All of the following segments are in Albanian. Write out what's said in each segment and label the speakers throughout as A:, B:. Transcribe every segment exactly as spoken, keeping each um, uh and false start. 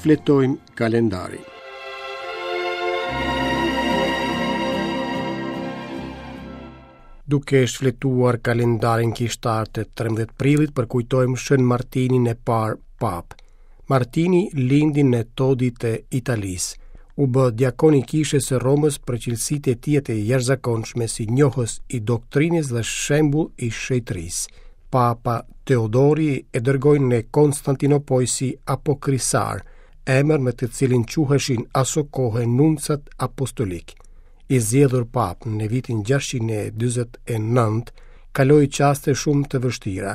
A: Shfletojmë kalendarin. Duke shfletuar kalendarin kishtar të trembëdhjetë prillit, përkujtojmë Shën Martinin e parë Papë. Martini lindi në Todi të Italisë. U bë diakon i kishës së Romës për cilësitë e tij të jashtëzakonshme si njohës i doktrinës dhe shembull i shenjtërisë. Papa Teodori e dërgoi në Konstantinopojë si apokrisar, emër me të cilin quheshin aso kohe nuncat apostolik. I zgjedhur papë në vitin gjashtëqind e dyzet e nëntë, kaloi çaste shumë të vështira.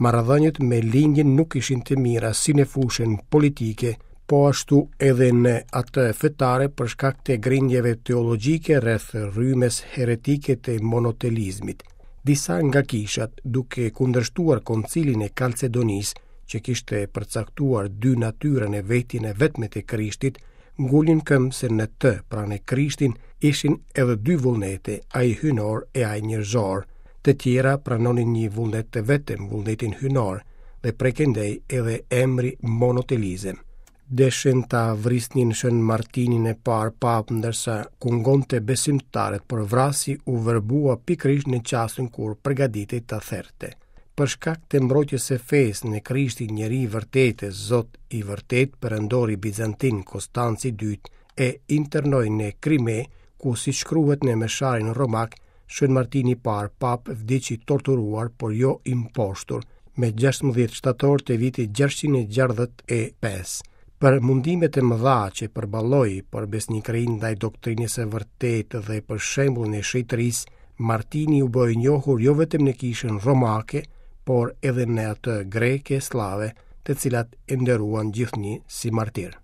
A: Marrëdhëniet me lindjen nuk ishin të mira si në fushën politike, po ashtu edhe në atë fetare për shkak të grindjeve teologjike rreth rrymës heretike të monotelizmit. Disa nga kishat, duke kundërshtuar koncilin e Kalcedonisë, që kishte përcaktuar dy natyra në vetjen e vetme të Krishtit, ngulnin këmbë se në të, pra në Krishtin, ishin edhe dy vullnete, ai hyjnor e ai njerëzor. Të tjera pranonin një vullnet të vetëm, vullnetin hyjnor, dhe prej këndej edhe emri monotelizëm. Deshen ta vrisnin Shën Martinin e parë papë, ndërsa kungonte besimtarët, por vrasi u verbua pikërisht në çastin kur përgatitej ta therte. Për shkak të mbrojtjes së fesë në Krishtin njeri i vërtetë, Zot i vërtetë, perandori bizantin Konstanci i dytë e internoi në Krime, ku si shkruhet në mesharin romak, Shën Martini i parë papë vdiq i torturuar, por jo i mposhtur, me gjashtëmbëdhjetë shtator të vitit gjashtëqind e gjashtëdhjetë e pesë. Për mundimet e mëdha që përballoi për besnikërinë ndaj doktrinës së vërtetë dhe për shembullin e shenjtërisë, Martini u bë i njohur jo vetëm në kishën romake, por edhe në atë greke slave, të cilat e nderuan gjithnjë si martir.